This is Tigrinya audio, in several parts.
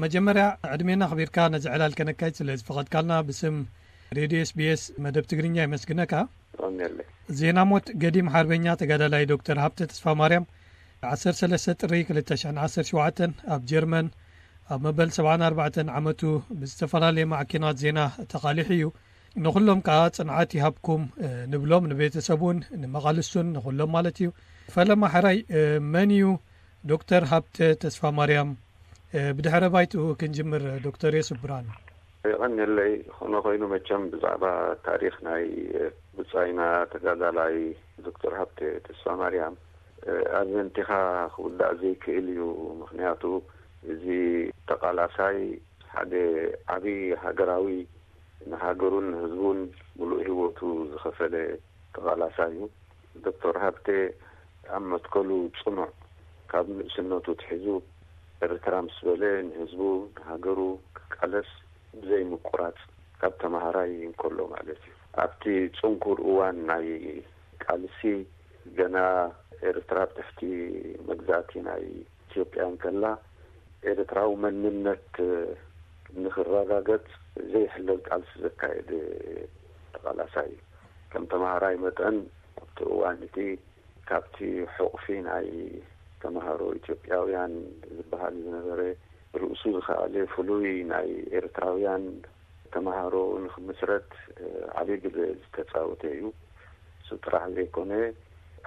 መጀመርያ ዕድሜና ኣኽቢርካ ነዚ ዕላል ከነካይድ ስለ ዝፈቐድካልና ብስም ሬድዮ ኤስቢኤስ መደብ ትግርኛ የመስግነካ። ዜና ሞት ገዲም ሓርበኛ ተጋዳላይ ዶክተር ሃብተ ተስፋ ማርያም ዓሰርተ ሰለስተ ጥሪ ክልተ ሽሕን ዓሰርተ ሸውዓተን ኣብ ጀርመን ኣብ መበል ሰብዓን ኣርባዕተን ዓመቱ ብዝተፈላለየ ማዕኪናት ዜና ተቓሊሑ እዩ። ንኹሎም ከዓ ጽንዓት ይሃብኩም ንብሎም፣ ንቤተሰቡን ንመቓልስቱን ንኹሎም ማለት እዩ። ፈለማ ሕራይ መን እዩ ዶክተር ሃብተ ተስፋ ማርያም? ብድሕረ ባይትኡ ክንጅምር ዶክተር የሱፍ ብርሃኑ። የቐንየለይ። ኾነ ኮይኑ መቸም ብዛዕባ ታሪኽ ናይ ብጻይና ተጋዳላይ ዶክተር ሃብተ ተስፋ ማርያም ኣዘንቲኻ ክውዳእ ዘይክእል እዩ። ምኽንያቱ እዚ ተቓላሳይ ሓደ ዓቢ ሃገራዊ፣ ንሃገሩን ንህዝቡን ምሉእ ህይወቱ ዝኸፈለ ተቓላሳይ እዩ። ዶክተር ሃብተ ኣብ መትከሉ ጽኑዕ፣ ካብ ንእስነቱ ትሒዙ ኤርትራ ምስ በለ ንህዝቡ ንሃገሩ ክቃለስ ብዘይ ምቁራጽ፣ ካብ ተማሃራይ እንከሎ ማለት እዩ። ኣብቲ ጽንኩር እዋን ናይ ቃልሲ፣ ገና ኤርትራ ኣብ ትሕቲ መግዛእቲ ናይ ኢትዮጵያ እንከላ፣ ኤርትራዊ መንነት ንኽረጋገጽ ዘይሕለል ቃልሲ ዘካየደ ተቓላሳይ እዩ። ከም ተማሃራይ መጠን ኣብቲ እዋን እቲ ካብቲ ሕቑፊ ናይ ተማሃሮ ኢትዮጵያውያን ዝበሃል ዝነበረ፣ ርእሱ ዝኸኣለ ፍሉይ ናይ ኤርትራውያን ተማሃሮ ንኽምስረት ዓቢ ግደ ዝተጻወተ እዩ። እሱ ጥራሕ ዘይኮነ፣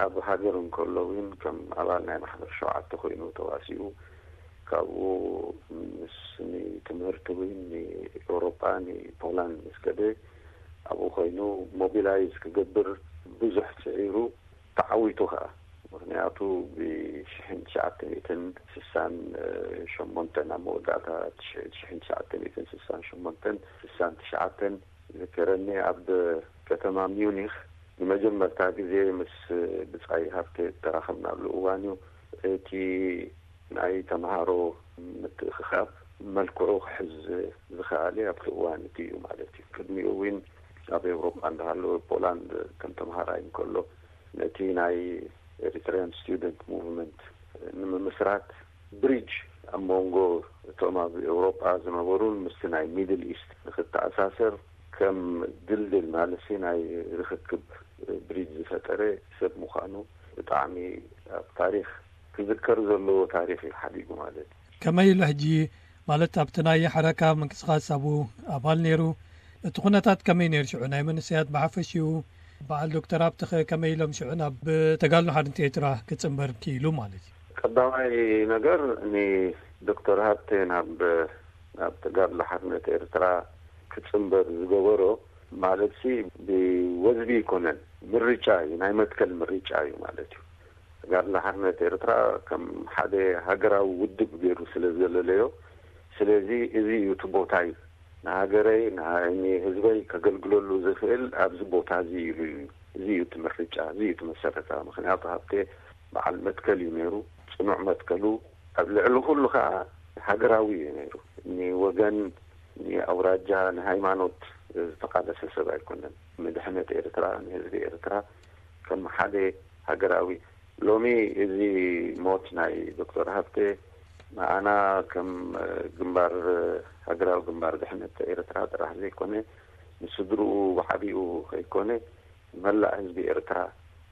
ኣብ ሃገር እንከሎ እውን ከም ኣባል ናይ ማሕበር ሸውዓተ ኮይኑ ተዋሲኡ፣ ካብኡ ምስ ንትምህርቲ እውን ንኤውሮጳ ንፖላንድ ምስ ከደ፣ ኣብኡ ኮይኑ ሞቢላይዝ ክገብር ብዙሕ ጽዒሩ፣ ተዓዊቱ ኸኣ። ምኽንያቱ ብሽሕን ትሽዓተ ሚእትን ስሳን ሸሞንተን፣ ኣብ መወዳእታ ትሽ- ሽሕን ትሽዓተ ሚእትን ስሳን ሸሞንተን ስሳን ትሽዓተን ዝከረኒ፣ ኣብ ከተማ ሚዩኒኽ ንመጀመርታ ግዜ ምስ ብጻይ ሃብተ ተራኸብናሉ እዋን እዩ። እቲ ናይ ተምሃሮ ምትእኽኻብ መልክዑ ክሕዝ ዝኸኣለ ኣብቲ እዋን እቲ እዩ ማለት እዩ። ቅድሚኡ እውን ኣብ ኤውሮጳ እንዳሃለወ፣ ፖላንድ ከም ተምሃራይ እንከሎ፣ ነቲ ናይ ኤሪትሪያን ስቱደንት ሙቭመንት ንምምስራት፣ ብሪጅ ኣብ መንጎ እቶም ኣብ ኤውሮጳ ዝነበሩን ምስቲ ናይ ሚድል ኢስት ንክተኣሳሰር ከም ድልድል፣ ማለትሲ ናይ ርኽክብ ብሪጅ ዝፈጠረ ሰብ ምዃኑ፣ ብጣዕሚ ኣብ ታሪኽ ክዝከር ዘለዎ ታሪኽ እዩ ሓዲጉ ማለት እዩ። ከመይ ኢሉ ሕጂ፣ ማለት ኣብቲ ናይ ሓረካ ምንቅስቓስ ኣብኡ ኣባል ነይሩ? እቲ ኩነታት ከመይ ነይሩ ሽዑ? ናይ መንእሰያት ብሓፈሽኡ፣ በዓል ዶክተር ሃብተኸ ከመይ ኢሎም ሽዑ ናብ ተጋድሎ ሓርነት ኤርትራ ክጽንበር ክኢሉ ማለት እዩ? ቀዳማይ ነገር፣ ንዶክተር ሃብተ ናብ ናብ ተጋድሎ ሓርነት ኤርትራ ክጽንበር ዝገበሮ፣ ማለትሲ ብወዝቢ ኣይኮነን፣ ምርጫ እዩ፣ ናይ መትከል ምርጫ እዩ ማለት እዩ። ተጋድሎ ሓርነት ኤርትራ ከም ሓደ ሃገራዊ ውድብ ገይሩ ስለ ዘለለዮ፣ ስለዚ እዚ እዩ እቲ ቦታይ፣ ንሃገረይ፣ ንሃ- ንህዝበይ ከገልግለሉ ዝኽእል ኣብዚ ቦታ እዚ ኢሉ እዩ። እዚ እዩ እቲ ምርጫ፣ እዚ እዩ እቲ መሰረታ። ምኽንያቱ ሃብተ በዓል መትከል እዩ ነይሩ። ጽኑዕ መትከሉ፣ ኣብ ልዕሊ ኩሉ ከኣ ሃገራዊ እዩ ነይሩ። ንወገን፣ ንኣውራጃ፣ ንሃይማኖት ዝተቓለሰ ሰብ ኣይኮነን። ንድሕነት ኤርትራ፣ ንህዝቢ ኤርትራ ከም ሓደ ሃገራዊ። ሎሚ እዚ ሞት ናይ ዶክተር ሃብተ ንኣና ከም ግንባር፣ ሃገራዊ ግንባር ድሕነት ኤርትራ ጥራሕ ዘይኮነ፣ ንስድርኡ ብዓቢኡ ከይኮነ፣ መላእ ህዝቢ ኤርትራ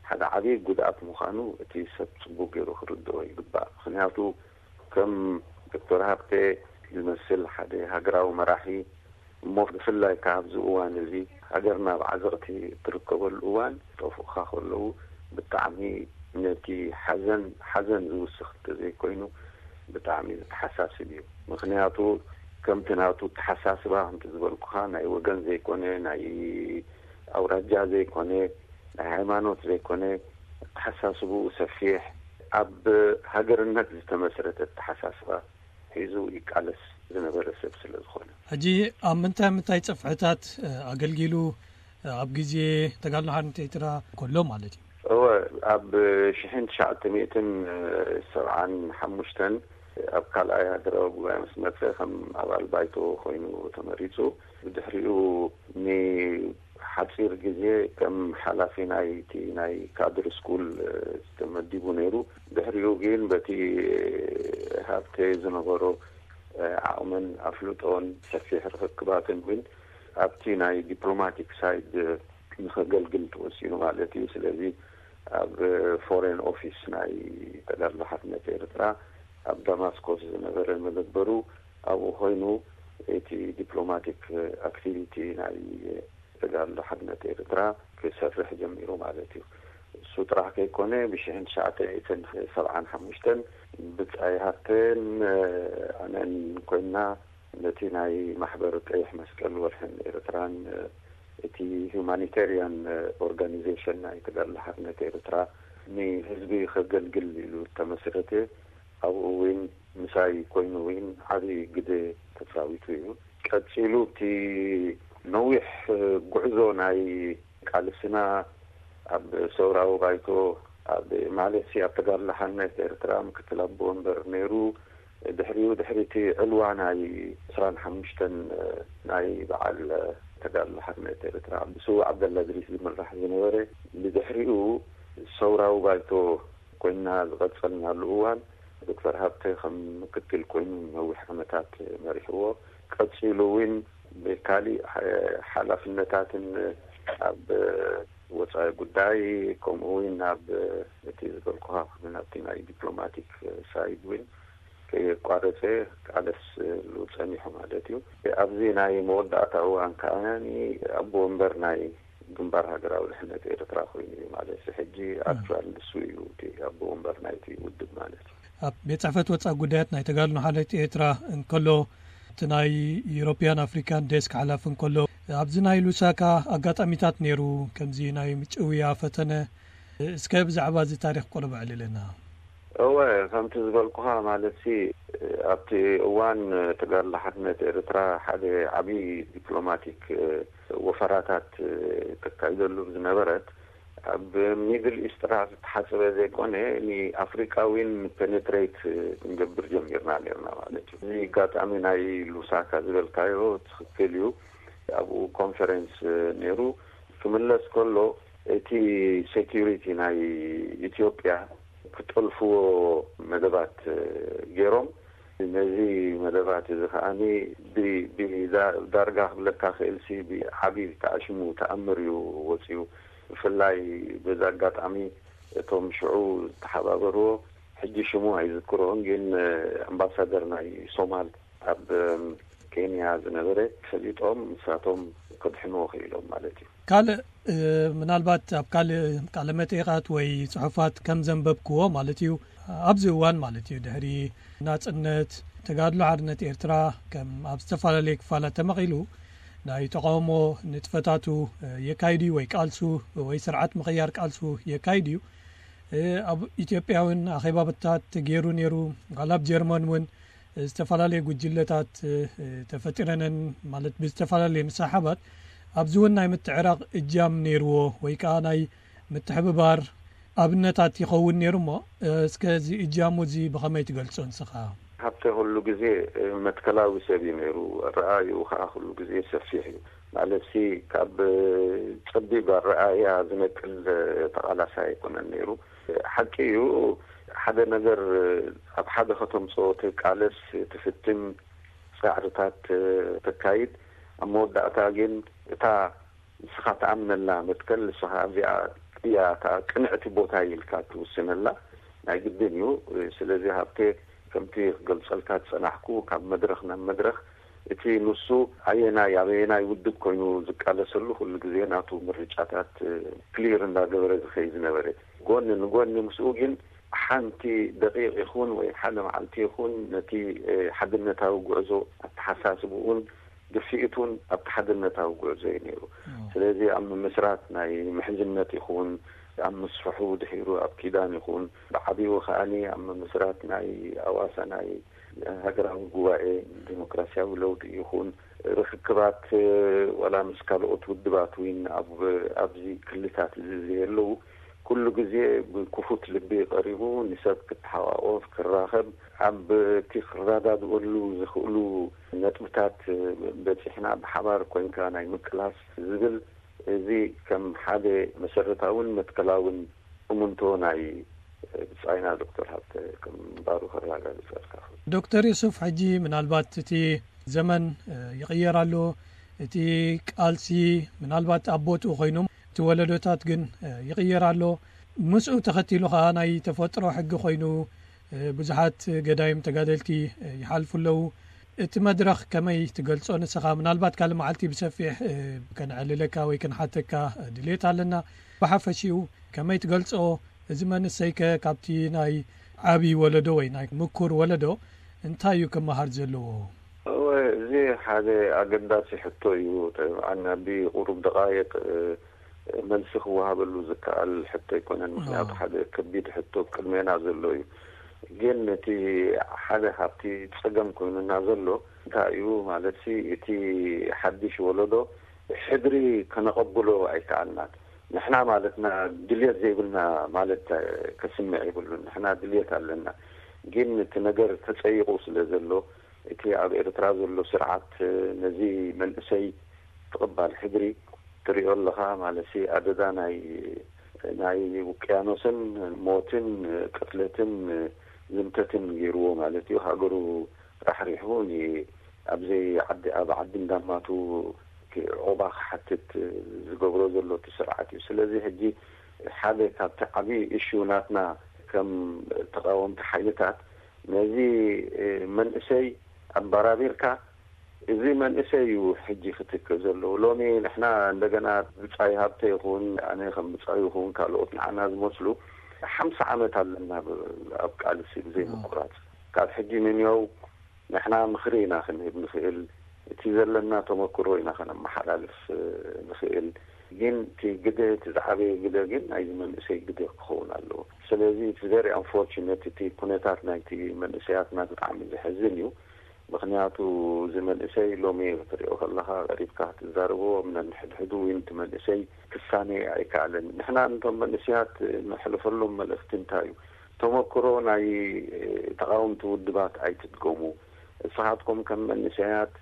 ሓደ ዓቢ ጉድኣት ምዃኑ እቲ ሰብ ጽቡቕ ገይሩ ክርድኦ ይግባእ። ምኽንያቱ ከም ዶክተር ሃብተ ዝመስል ሓደ ሃገራዊ መራሒ፣ እሞ ብፍላይ ከኣ ኣብዚ እዋን እዚ ሃገርና ኣብ ዓዘቕቲ እትርከበሉ እዋን፣ ጠፉእኻ ከለዉ ብጣዕሚ ነቲ ሓዘን ሓዘን ዝውስኽ እንተዘይኮይኑ፣ ብጣዕሚ ዘተሓሳስብ እዩ። ምኽንያቱ ከምቲ ናቱ ኣተሓሳስባ፣ ከምቲ ዝበልኩኻ፣ ናይ ወገን ዘይኮነ፣ ናይ ኣውራጃ ዘይኮነ፣ ናይ ሃይማኖት ዘይኮነ፣ ኣተሓሳስብኡ ሰፊሕ፣ ኣብ ሃገርነት ዝተመስረተ ኣተሓሳስባ ሒዙ ይቃለስ ዝነበረ ሰብ ስለ ዝኾነ። ሕጂ ኣብ ምንታይ ምንታይ ጽፍሕታት፣ እ፣ ኣገልጊሉ፣ እ፣ ኣብ ግዜ ተጋድሎ ሓርነት ኤርትራ ከሎ ማለት እዩ? እወ፣ ኣብ ሽሕን ትሽዓተ ሚእትን ሰብዓን ሓሙሽተን ኣብ ካልኣይ ሃገራዊ ጉባኤ ምስ መጸ፣ ከም ኣባል ባይቶ ኮይኑ ተመሪጹ። ብድሕሪኡ ንሓጺር ግዜ ከም ሓላፊ ናይቲ ናይ ካድር ስኩል ተመዲቡ ነይሩ። ድሕሪኡ ግን በቲ ሃብተ ዝነበሮ ዓቕምን ኣፍልጦን ሰፊሕ ርክክባትን እውን ኣብቲ ናይ ዲፕሎማቲክ ሳይድ ንኸገልግል ተወሲኑ ማለት እዩ። ስለዚ ኣብ ፎሬን ኦፊስ ናይ ተጋድሎ ሓርነት ኤርትራ ኣብ ዳማስኮስ ዝነበረ መደበሩ ኣብኡ ኮይኑ እቲ ዲፕሎማቲክ ኣክቲቪቲ ናይ ተጋድሎ ሓርነት ኤርትራ ክሰርሕ ጀሚሩ ማለት እዩ። እሱ ጥራሕ ከይኮነ ብሽሕን ትሽዓተ ሚእትን ሰብዓን ሓሙሽተን ብጻይ ሃብተን ኣነን ኮይና ነቲ ናይ ማሕበር ቀይሕ መስቀል ወርሕን ኤርትራን እቲ ሁማኒቴሪያን ኦርጋኒዜሽን ናይ ተጋድሎ ሓርነት ኤርትራ ንህዝቢ ከገልግል ኢሉ ተመስረተ። ኣብኡ እውን ምሳይ ኮይኑ እውን ዓብዪ ግደ ተፃዊቱ እዩ። ቀፂሉ እቲ ነዊሕ ጉዕዞ ናይ ቃልስና ኣብ ሰውራዊ ባይቶ ኣብ ማለት ሲ ኣብ ተጋድሎ ሓርነት ኤርትራ ምክትል ኣቦ ወንበር ነይሩ። ድሕሪኡ ድሕሪ እቲ ዕልዋ ናይ ዕስራን ሓሙሽተን ናይ በዓል ተጋድሎ ሓርነት ኤርትራ ብስዉእ ዓብደላ እድሪስ ዝምራሕ ዝነበረ ብድሕሪኡ ሰውራዊ ባይቶ ኮይና ዝቐጸልናሉ እዋን ዶክተር ሃብተ ከም ምክትል ኮይኑ ነዊሕ ዓመታት መሪሕዎ። ቀጺሉ እውን ብካሊእ ሓላፍነታትን ኣብ ወጻኢ ጉዳይ ከምኡ እውን ኣብ እቲ ዝበልኩኻ ናብቲ ናይ ዲፕሎማቲክ ሳይድ እውን ከየቋረጸ ቃለስሉ ጸኒሑ ማለት እዩ። ኣብዚ ናይ መወዳእታ እዋን ከኣ ኣቦ ወንበር ናይ ግንባር ሃገራዊ ድሕነት ኤርትራ ኮይኑ እዩ ማለት እዩ። ሕጂ ኣክቹዋል ንሱ እዩ እቲ ኣቦ ወንበር ናይቲ ውድብ ማለት እዩ። ኣብ ቤት ጽሕፈት ወጻኢ ጉዳያት ናይ ተጋድሎ ሓርነት ኤርትራ እንከሎ፣ እቲ ናይ ዩሮፒያን ኣፍሪካን ዴስክ ሓላፊ እንከሎ፣ ኣብዚ ናይ ሉሳካ ኣጋጣሚታት ነይሩ፣ ከምዚ ናይ ምጭውያ ፈተነ። እስከ ብዛዕባ እዚ ታሪኽ ቁሩብ ኣዕልለና። እወ፣ ከምቲ ዝበልኩኻ ማለት ሲ ኣብቲ እዋን ተጋድሎ ሓርነት ኤርትራ ሓደ ዓብዪ ዲፕሎማቲክ ወፈራታት ተካይደሉ ዝነበረት ኣብ ሚድል ኢስት ጥራሕ ዝተሓሰበ ዘይኮነ ንኣፍሪቃ እውን ፔኔትሬት ክንገብር ጀሚርና ነርና ማለት እዩ። እዚ ኣጋጣሚ ናይ ሉሳካ ዝበልካዮ ትኽክል እዩ። ኣብኡ ኮንፈረንስ ነይሩ። ክምለስ ከሎ እቲ ሴኪሪቲ ናይ ኢትዮጵያ ክጠልፍዎ መደባት ገይሮም ነዚ መደባት እዚ ከዓኒ ብ- ብዳ- ዳርጋ ክብለካ ክእልሲ ብዓብዪ ተኣሽሙ ተኣምር እዩ ወፂኡ። ብፍላይ በዚ ኣጋጣሚ እቶም ሽዑ ዝተሓባበርዎ ሕጂ ሽሙ ኣይዝክሮን ግን ኣምባሳደር ናይ ሶማል ኣብ ኬንያ ዝነበረ ፈሊጦም ንሳቶም ክድሕንዎ ክኢሎም ማለት እዩ። ካልእ ምናልባት ኣብ ካልእ ቃለ መጠይቓት ወይ ጽሑፋት ከም ዘንበብክዎ ማለት እዩ፣ ኣብዚ እዋን ማለት እዩ ድሕሪ ናጽነት ተጋድሎ ሓርነት ኤርትራ ከም ኣብ ዝተፈላለዩ ክፋላት ተመቒሉ ናይ ተቃውሞ ንጥፈታቱ የካይድ እዩ ወይ ቃልሱ ወይ ስርዓት ምቕያር ቃልሱ የካይድ እዩ። ኣብ ኢትዮጵያ እውን ኣኼባታት ገይሩ ነይሩ። ዋላ ኣብ ጀርመን እውን ዝተፈላለዩ ጉጅለታት ተፈጢረነን ማለት ብዝተፈላለየ ምሳሓባት ኣብዚ እውን ናይ ምትዕራቕ እጃም ነይርዎ ወይ ከዓ ናይ ምትሕብባር ኣብነታት ይኸውን ነይሩ እሞ እስከ እዚ እጃሙ እዚ ብኸመይ ትገልጾ ንስኻ? ሃብተ ኩሉ ግዜ መትከላዊ ሰብ እዩ ነይሩ። ኣረኣእይኡ ከዓ ኩሉ ግዜ ሰፊሕ እዩ። ማለትሲ ካብ ጸቢብ ኣረኣእያ ዝነቅል ተቓላሳይ ኣይኮነን ነይሩ። ሓቂ እዩ ሓደ ነገር ኣብ ሓደ ከተምጽኦ ትቃለስ ትፍትን ጻዕርታት ተካይድ ኣብ መወዳእታ ግን እታ ንስኻ ትኣምነላ መትከል ንስኻ ኣብዚኣ እያ እታ ቅንዕቲ ቦታ ኢልካ ትውስነላ ናይ ግድን እዩ። ስለዚ ሃብቴ ከምቲ ክገልጸልካ ዝጸናሕኩ ካብ መድረኽ ናብ መድረኽ እቲ ንሱ ኣየናይ ኣበየናይ ውድብ ኮይኑ ዝቃለሰሉ ኩሉ ግዜ ናቱ ምርጫታት ክሊር እንዳገበረ ዝኸይ ዝነበረ ጎኒ ንጎኒ ምስኡ ግን ሓንቲ ደቂቕ ይኹን ወይ ሓደ መዓልቲ ይኹን ነቲ ሓድነታዊ ጉዕዞ ኣተሓሳስብኡን ድፍኢቱን ኣብቲ ሓድነታዊ ጉዕዞ እዩ ነይሩ። ስለዚ ኣብ ምምስራት ናይ ምሕዝነት ይኹን ኣብ ምስፍሑ ድሒሩ ኣብ ኪዳን ይኹን ብዓቢኡ ከዓኒ ኣብ ምምስራት ናይ ኣዋሳ ናይ ሃገራዊ ጉባኤ ዲሞክራሲያዊ ለውጢ ይኹን ርክክባት ዋላ ምስ ካልኦት ውድባት እውን ኣብ ኣብዚ ክልታት እዚ ዘየለዉ ኩሉ ግዜ ብክፉት ልቢ ቀሪቡ ንሰብ ክተሓዋወፍ ክራኸብ ኣብ እቲ ክረዳድእሉ ዝኽእሉ ነጥብታት በፂሕና ብሓባር ኮይንካ ናይ ምቅላስ ዝብል እዚ ከም ሓደ መሰረታውን መትከላውን እሙንቶ ናይ ብጻይና ዶክተር ሃብተ ከም ምንባሩ ከረጋግጸልካ። ዶክተር ዮሱፍ፣ ሕጂ ምናልባት እቲ ዘመን ይቕየር ኣሎ፣ እቲ ቃልሲ ምናልባት ኣብ ቦትኡ ኮይኖም እቲ ወለዶታት ግን ይቕየር ኣሎ። ምስኡ ተኸቲሉ ከኣ ናይ ተፈጥሮ ሕጊ ኮይኑ ብዙሓት ገዳይም ተጋደልቲ ይሓልፉ ኣለዉ። እቲ መድረኽ ከመይ ትገልጾ ንስኻ? ምናልባት ካልእ መዓልቲ ብሰፊሕ ከነዕልለካ ወይ ክንሓተካ ድሌት ኣለና። ብሓፈሽኡ ከመይ ትገልጾ? እዚ መንእሰይከ ካብቲ ናይ ዓቢ ወለዶ ወይ ናይ ምኩር ወለዶ እንታይ እዩ ክመሃር ዘለዎ? እወ፣ እዚ ሓደ ኣገዳሲ ሕቶ እዩ። ጠብዓን ኣብ ቁሩብ ደቓይቕ፣ እ፣ መልሲ ክወሃበሉ ዝከኣል ሕቶ ኣይኮነን። ምኽንያቱ ሓደ ከቢድ ሕቶ ቅድሜና ዘሎ እዩ። ግን እቲ ሓደ ካብቲ ጸገም ኮይኑና ዘሎ እንታይ እዩ ማለትሲ፣ እቲ ሓድሽ ወለዶ ሕድሪ ከነቐብሎ ኣይከኣልናን። ንሕና ማለትና ድልየት ዘይብልና ማለት ከስምዕ የብሉን። ንሕና ድልየት ኣለና። ግን እቲ ነገር ተጸይቑ ስለ ዘሎ፣ እቲ ኣብ ኤርትራ ዘሎ ስርዓት ነዚ መንእሰይ ትቕባል ሕድሪ ትሪኦ ኣለኻ። ማለትሲ ኣደዳ ናይ ናይ ውቅያኖስን ሞትን ቅትለትን ዝምተትን ገይርዎ ማለት እዩ። ሃገሩ ራሕሪሑ ን-፣ ኣብዘይ ዓዲ፣ ኣብ ዓዲ እንዳማቱ ክ-፣ ዑቕባ ክሓትት ዝገብሮ ዘሎ እቲ ስርዓት እዩ። ስለዚ ሕጂ ሓደ ካብቲ ዓብዪ እሹ ናትና ከም ተቃወምቲ ሓይልታት ነዚ መንእሰይ ኣባራቢርካ፣ እዚ መንእሰይ እዩ ሕጂ ክትክእ ዘለዎ። ሎሚ ንሕና እንደገና ብጻይ ሃብተ ይኹን ኣነ ከም ብጻይ ይኹን ካልኦት ንዓና ዝመስሉ ሓምሳ ዓመት ኣለና ብ-፣ ኣብ ቃልሲ ብዘይ ምቁራጽ። ካብ ሕጂ ንንየው ንሕና ምኽሪ ኢና ክንህብ ንኽእል፣ እቲ ዘለና ተመክሮ ኢና ከነመሓላልፍ ንኽእል። ግን እቲ ግደ፣ እቲ ዝዓበየ ግደ ግን ናይዚ መንእሰይ ግደ ክኸውን ኣለዎ። ስለዚ it's very unfortunate፣ እቲ ኩነታት ናይቲ መንእሰያትና ብጣዕሚ ዘሕዝን እዩ። ምኽንያቱ እዚ መንእሰይ ሎሚ ክትሪኦ ከለኻ ቀሪብካ ክትዛረቦ ነንሕድሕዱ ወይ ነቲ መንእሰይ ክሳነ ኣይከኣለን። ንሕና ነቶም መንእሰያት ነሕልፈሎም መልእኽቲ እንታይ እዩ? ተመክሮ ናይ ተቃወምቲ ውድባት ኣይትድገሙ። ንስኻትኩም ከም መንእሰያት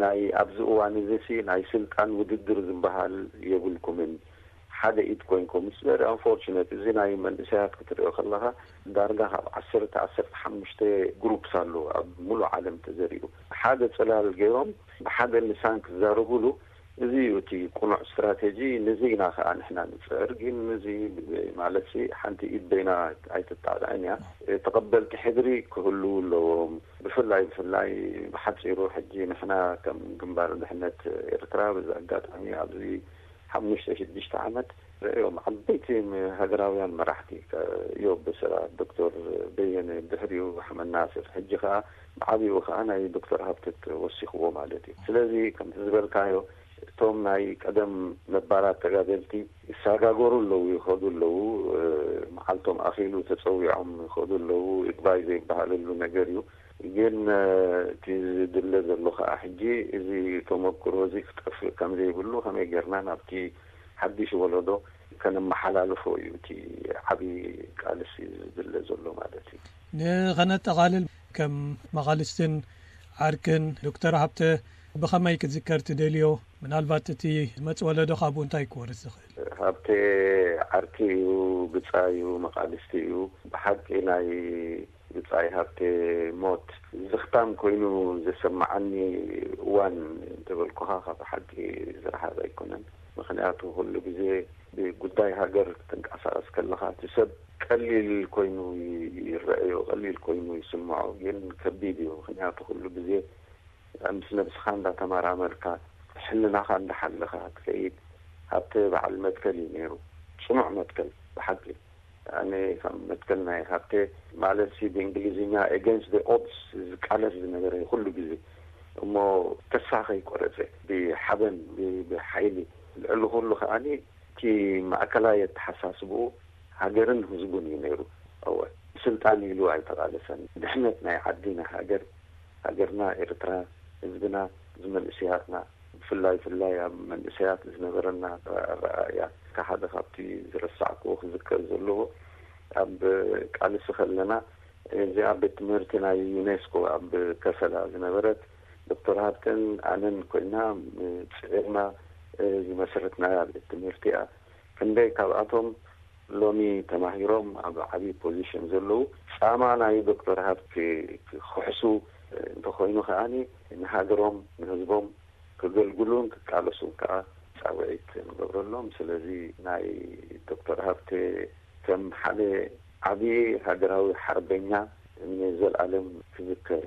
ናይ ኣብዚ እዋን እዚ ሲ ናይ ስልጣን ውድድር ዝበሃል የብልኩምን። ሓደ ኢድ ኮይንኩም። It's very unfortunate። እዚ ናይ መንእሰያት ክትሪኦ ከለኻ ዳርጋ ካብ ዓሰርተ፣ ዓሰርተ ሓሙሽተ ግሩፕስ ኣሎ ኣብ ሙሉእ ዓለም ተዘሪኡ። ሓደ ጽላል ገይሮም ብሓደ ልሳን ክዛረቡሉ፣ እዚ እዩ እቲ ቅኑዕ ስትራቴጂ። ንዚ ኢና ከኣ ንሕና ንጽዕር። ግን ንዚ ማለትሲ ሓንቲ ኢድ በይና ኣይትጣጣዕን እያ። ተቐበልቲ ሕድሪ ክህልዉ ኣለዎም። ብፍላይ፣ ብፍላይ ብሓጺሩ ሕጂ ንሕና ከም ግንባር ድሕነት ኤርትራ በዚ ኣጋጣሚ ኣብዚ ሓሙሽተ ሽዱሽተ ዓመት ርእዮም ዓበይቲ ሃገራውያን መራሕቲ ከ-፣ እዮብ በሰላ፣ ዶክተር በየነ፣ ድሕሪኡ ኣሕመድ ናስር፣ ሕጂ ከኣ ብዓቢኡ ከኣ ናይ ዶክተር ሃብተ ወሲኽዎ ማለት እዩ። ስለዚ ከምቲ ዝበልካዮ እቶም ናይ ቀደም ነባራት ተጋደልቲ ይሰጋገሩ ኣለዉ፣ ይኸዱ ኣለዉ፣ እ፣ መዓልቶም ኣኺሉ ተጸዊዖም ይኸዱ ኣለዉ። ይግባይ ዘይበሃለሉ ነገር እዩ። ግን፣ እ፣ እቲ ዝድለ ዘሎ ከኣ ሕጂ እዚ ተመክሮ እዚ ክጠፍእ ከም ዘይብሉ ከመይ ጌርና ናብቲ ሓድሽ ወለዶ ከነመሓላልፎ እዩ እቲ ዓቢ ቃልሲ ዝድለ ዘሎ ማለት እዩ። ንኸነጠቓልል፣ ከም መቓልስትን ዓርክን ዶክተር ሃብተ ብኸመይ ክዝከር ትደልዮ? ምናልባት እቲ ዝመጽእ ወለዶ ካብኡ እንታይ ክወርስ ዝኽእል? ሃብተ ዓርኪ እዩ፣ ብጻይ እዩ፣ መቓልስቲ እዩ። ብሓቂ ናይ ብጻይ ሃብተ ሞት ዝኽታም ኮይኑ ዘሰማዓኒ እዋን እንተበልኩኻ ካብ ሓቂ ዝረሓቐ ኣይኮነን። ምኽንያቱ ኩሉ ግዜ ብጉዳይ ሃገር ክትንቀሳቐስ ከለኻ እቲ ሰብ ቀሊል ኮይኑ ይረኣዮ፣ ቀሊል ኮይኑ ይስምዖ፣ ግን ከቢድ እዩ። ምኽንያቱ ኩሉ ግዜ ምስ ነብስኻ እንዳተመራመርካ፣ ሕልናኻ እንዳሓለኻ ትኸይድ። ሃብተ በዓል መትከል እዩ ነይሩ፣ ጽኑዕ መትከል ብሓቂ። ኣነ ካብ መትከል ናይ ሃብተ ማለት ሲ ብእንግሊዝኛ against the odds ዝቃለስ ዝነበረ ኩሉ ግዜ፣ እሞ ተስፋ ከይቆረጸ ብሓበን ብ-፣ ብሓይሊ፣ ልዕሊ ኩሉ ከኣኒ እቲ ማእከላይ ኣተሓሳስብኡ ሃገርን ህዝቡን እዩ ነይሩ። እወ፣ ስልጣን ኢሉ ኣይተቓለሰን። ድሕነት ናይ ዓዲ፣ ናይ ሃገር፣ ሃገርና ኤርትራ፣ ህዝብና፣ እዚ መንእሰያትና፣ ብፍላይ፣ ብፍላይ ኣብ መንእሰያት ዝነበረና ኣረኣእያ፣ ሓደ ካብቲ ዝረሳዕክዎ ክዝከር ዘለዎ፣ ኣብ ቃልሲ ከለና፣ እዚኣ ቤት ትምህርቲ ናይ ዩኔስኮ ኣብ ከሰላ ዝነበረት፣ ዶክተር ሃብተን ኣነን ኮይና፣ ጽዒርና ዝመስረትናያ ቤት ትምህርቲ እያ። ክንደይ ካብኣቶም ሎሚ ተማሂሮም ኣብ ዓብዪ ፖዚሽን ዘለዉ ጻማ ናይ ዶክተር ሃብቴ ክሕሱ እንተኾይኑ ከዓኒ ንሃገሮም ንህዝቦም ክገልግሉን ክቃለሱን ከዓ ጻውዒት ንገብረሎም። ስለዚ ናይ ዶክተር ሃብቴ ከም ሓደ ዓብዪ ሃገራዊ ሓርበኛ ንዘለኣለም ክዝከር